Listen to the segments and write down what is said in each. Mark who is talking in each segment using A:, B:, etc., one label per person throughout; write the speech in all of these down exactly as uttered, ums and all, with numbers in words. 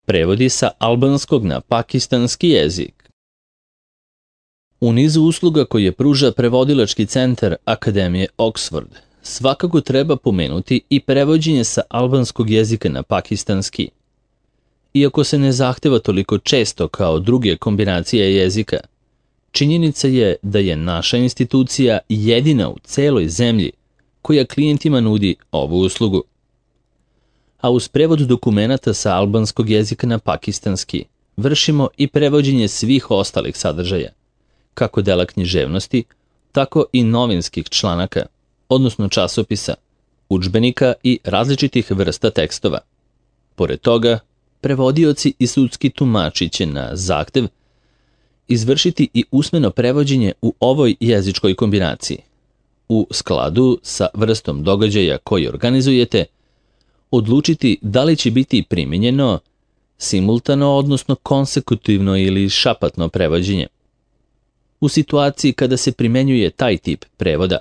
A: Prevodi sa albanskog na pakistanski jezik. U nizu usluga koje pruža prevodilački centar Akademije Oxford, svakako treba pomenuti i prevođenje sa albanskog jezika na pakistanski. Iako se ne zahteva toliko često kao druge kombinacije jezika, činjenica je da je naša institucija jedina u celoj zemlji koja klijentima nudi ovu uslugu. A uz prevod dokumenata sa albanskog jezika na pakistanski vršimo i prevođenje svih ostalih sadržaja, kako dela književnosti, tako i novinskih članaka, odnosno časopisa, udžbenika i različitih vrsta tekstova. Pored toga, prevodioci i sudski tumači će na zahtev izvršiti i usmeno prevođenje u ovoj jezičkoj kombinaciji. U skladu sa vrstom događaja koji organizujete, odlučiti da li će biti primijenjeno simultano, odnosno konsekutivno ili šapatno prevođenje. U situaciji kada se primenjuje taj tip prevoda,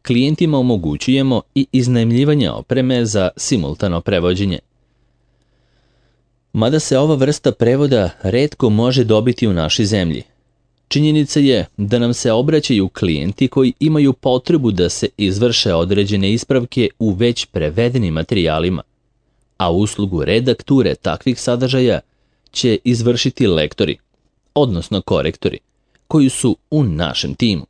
A: klijentima omogućujemo i iznajmljivanje opreme za simultano prevođenje. Mada se ova vrsta prevoda retko može dobiti u našoj zemlji, činjenica je da nam se obraćaju klijenti koji imaju potrebu da se izvrše određene ispravke u već prevedenim materijalima, a uslugu redakture takvih sadržaja će izvršiti lektori, odnosno korektori, koji su u našem timu.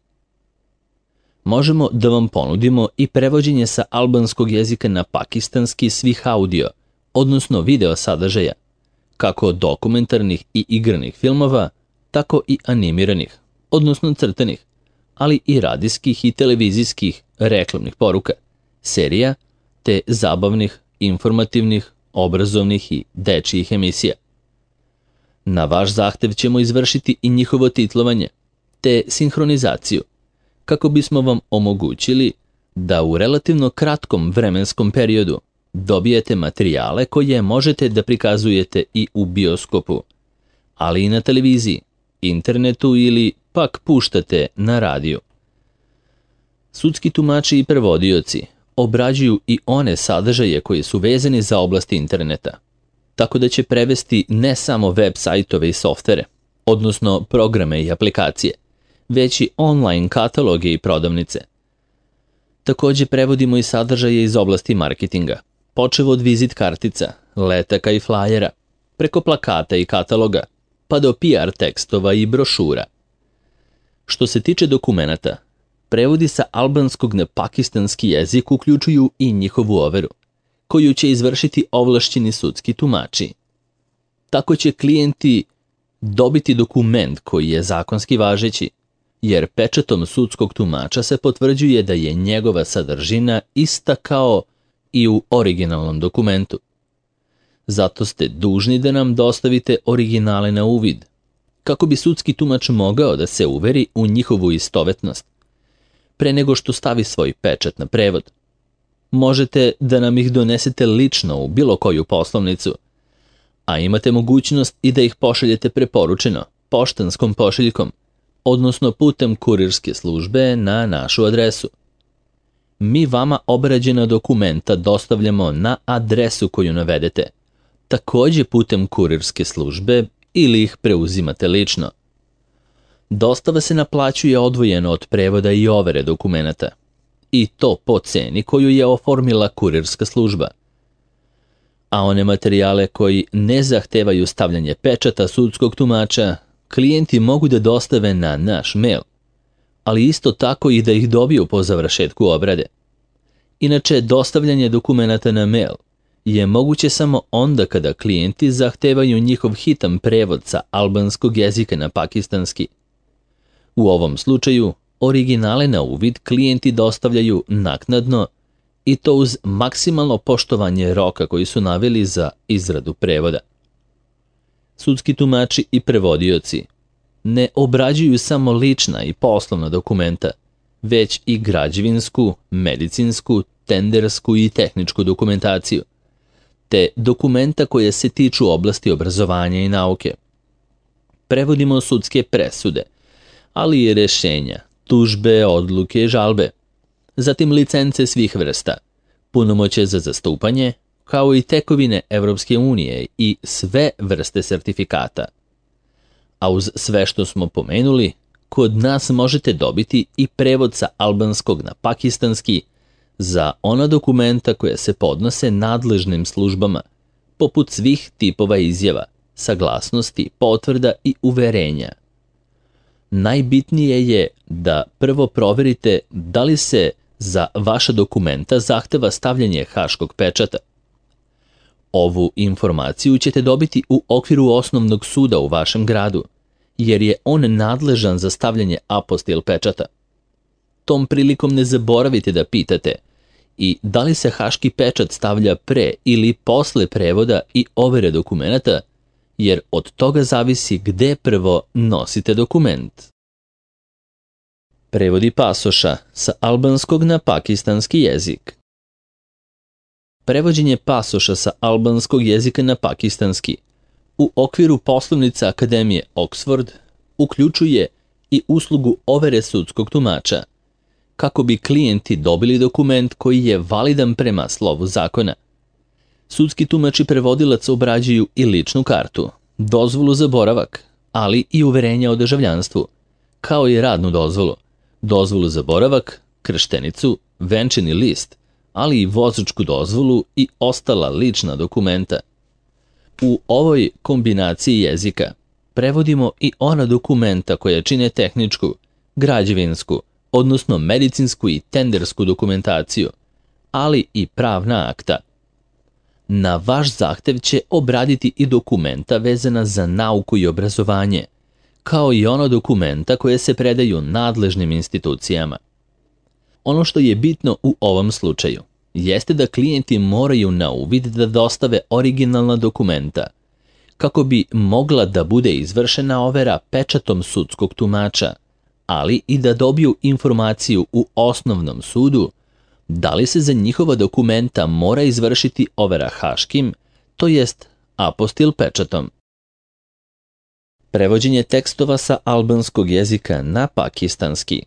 A: Možemo da vam ponudimo i prevođenje sa albanskog jezika na pakistanski svih audio, odnosno video sadržaja, kako dokumentarnih i igranih filmova, tako i animiranih, odnosno crtanih, ali i radijskih i televizijskih reklamnih poruka, serija, te zabavnih, informativnih, obrazovnih i dečijih emisija. Na vaš zahtev ćemo izvršiti i njihovo titlovanje, te sinhronizaciju, kako bismo vam omogućili da u relativno kratkom vremenskom periodu dobijete materijale koje možete da prikazujete i u bioskopu, ali i na televiziji, internetu ili pak puštate na radiju. Sudski tumači i prevodioci obrađuju i one sadržaje koji su vezani za oblasti interneta, tako da će prevesti ne samo web sajtove i softvere, odnosno programe i aplikacije, već i online kataloge i prodavnice. Također prevodimo i sadržaje iz oblasti marketinga, počev od vizit kartica, letaka i flajera, preko plakata i kataloga, pa do P R tekstova i brošura. Što se tiče dokumenata, prevodi sa albanskog na pakistanski jezik uključuju i njihovu overu, koju će izvršiti ovlašćeni sudski tumači. Tako će klijenti dobiti dokument koji je zakonski važeći, jer pečatom sudskog tumača se potvrđuje da je njegova sadržina ista kao i u originalnom dokumentu. Zato ste dužni da nam dostavite originale na uvid, kako bi sudski tumač mogao da se uveri u njihovu istovetnost, pre nego što stavi svoj pečat na prevod. Možete da nam ih donesete lično u bilo koju poslovnicu, a imate mogućnost i da ih pošaljete preporučeno, poštanskom pošiljkom, odnosno putem kurirske službe na našu adresu. Mi vama obrađena dokumenta dostavljamo na adresu koju navedete, također putem kurirske službe ili ih preuzimate lično. Dostava se naplaćuje odvojeno od prevoda i overe dokumenata, i to po ceni koju je oformila kurirska služba. A one materijale koji ne zahtevaju stavljanje pečata sudskog tumača, klijenti mogu da dostave na naš mail, ali isto tako i da ih dobiju po završetku obrade. Inače, dostavljanje dokumenata na mail je moguće samo onda kada klijenti zahtevaju njihov hitan prevod sa albanskog jezika na pakistanski. U ovom slučaju, originale na uvid klijenti dostavljaju naknadno, i to uz maksimalno poštovanje roka koji su naveli za izradu prevoda. Sudski tumači i prevodioci ne obrađuju samo lična i poslovna dokumenta, već i građevinsku, medicinsku, tendersku i tehničku dokumentaciju, te dokumenta koje se tiču oblasti obrazovanja i nauke. Prevodimo sudske presude, ali i rešenja, tužbe, odluke, žalbe, zatim licence svih vrsta, punomoćje za zastupanje, kao i tekovine Evropske unije i sve vrste sertifikata. A uz sve što smo pomenuli, kod nas možete dobiti i prevod sa albanskog na pakistanski za ona dokumenta koja se podnose nadležnim službama, poput svih tipova izjava, saglasnosti, potvrda i uverenja. Najbitnije je da prvo proverite da li se za vaša dokumenta zahteva stavljanje haškog pečata. Ovu informaciju ćete dobiti u okviru osnovnog suda u vašem gradu, jer je on nadležan za stavljanje apostil pečata. Tom prilikom ne zaboravite da pitate i da li se haški pečat stavlja pre ili posle prevoda i overe dokumenata, jer od toga zavisi gde prvo nosite dokument. Prevodi pasoša sa albanskog na pakistanski jezik. Prevođenje pasoša sa albanskog jezika na pakistanski u okviru poslovnica Akademije Oxford uključuje i uslugu overe sudskog tumača, kako bi klijenti dobili dokument koji je validan prema slovu zakona. Sudski tumač i prevodilac obrađuju i ličnu kartu, dozvolu za boravak, ali i uverenja o državljanstvu, kao i radnu dozvolu, dozvolu za boravak, krštenicu, venčani list, ali i vozačku dozvolu i ostala lična dokumenta. U ovoj kombinaciji jezika prevodimo i ona dokumenta koja čine tehničku, građevinsku, odnosno medicinsku i tendersku dokumentaciju, ali i pravna akta. Na vaš zahtev će obraditi i dokumenta vezana za nauku i obrazovanje, kao i ono dokumenta koje se predaju nadležnim institucijama. Ono što je bitno u ovom slučaju jeste da klijenti moraju na uvid da dostave originalna dokumenta, kako bi mogla da bude izvršena overa pečatom sudskog tumača, ali i da dobiju informaciju u osnovnom sudu da li se za njihova dokumenta mora izvršiti overa haškim, to jest apostil pečatom. Prevođenje tekstova sa albanskog jezika na pakistanski.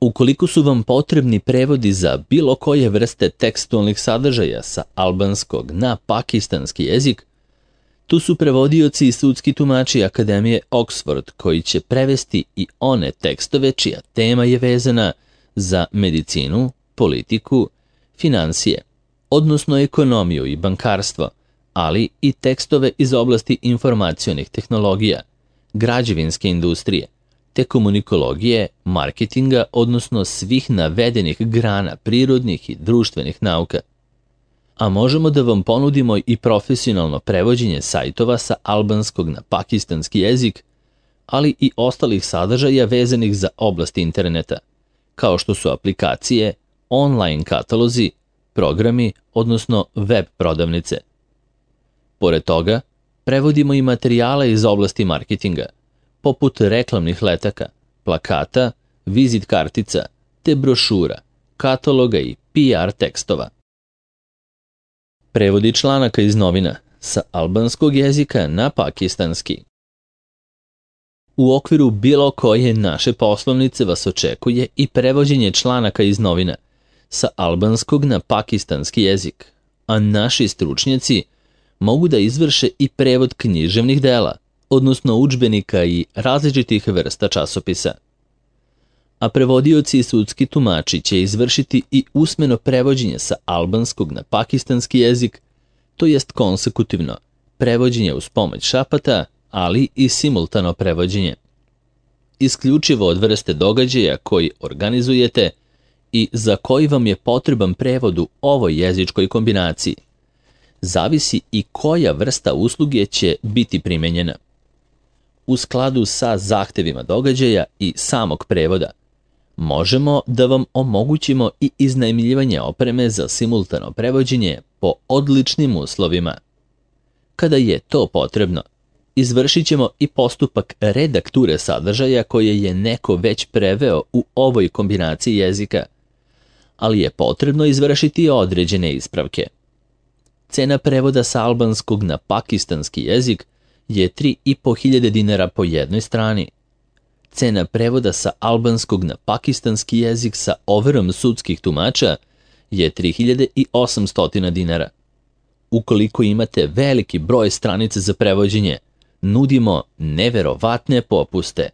A: Ukoliko su vam potrebni prevodi za bilo koje vrste tekstualnih sadržaja sa albanskog na pakistanski jezik, tu su prevodioci i sudski tumači Akademije Oxford koji će prevesti i one tekstove čija tema je vezana za medicinu, politiku, finansije, odnosno ekonomiju i bankarstvo, ali i tekstove iz oblasti informacionih tehnologija, građevinske industrije, te komunikologije, marketinga, odnosno svih navedenih grana prirodnih i društvenih nauka. A možemo da vam ponudimo i profesionalno prevođenje sajtova sa albanskog na pakistanski jezik, ali i ostalih sadržaja vezanih za oblast interneta, kao što su aplikacije, online katalozi, programi, odnosno web prodavnice. Pored toga, prevodimo i materijale iz oblasti marketinga, poput reklamnih letaka, plakata, vizit kartica, te brošura, kataloga i P R tekstova. Prevodi članaka iz novina sa albanskog jezika na pakistanski. U okviru bilo koje naše poslovnice vas očekuje i prevođenje članaka iz novina sa albanskog na pakistanski jezik, a naši stručnjaci mogu da izvrše i prevod književnih dela, odnosno udžbenika i različitih vrsta časopisa. A prevodioci i sudski tumači će izvršiti i usmeno prevođenje sa albanskog na pakistanski jezik, to jest konsekutivno, prevođenje uz pomoć šapata, ali i simultano prevođenje. Isključivo od vrste događaja koji organizujete i za koji vam je potreban prevod u ovoj jezičkoj kombinaciji, zavisi i koja vrsta usluge će biti primenjena. U skladu sa zahtevima događaja i samog prevoda, možemo da vam omogućimo i iznajmljivanje opreme za simultano prevođenje po odličnim uslovima. Kada je to potrebno, izvršit ćemo i postupak redakture sadržaja koje je neko već preveo u ovoj kombinaciji jezika, ali je potrebno izvršiti određene ispravke. Cena prevoda sa albanskog na pakistanski jezik je tri i po hiljade dinara po jednoj strani. Cena prevoda sa albanskog na pakistanski jezik sa overom sudskih tumača je tri hiljade osamsto dinara. Ukoliko imate veliki broj stranica za prevođenje, nudimo neverovatne popuste.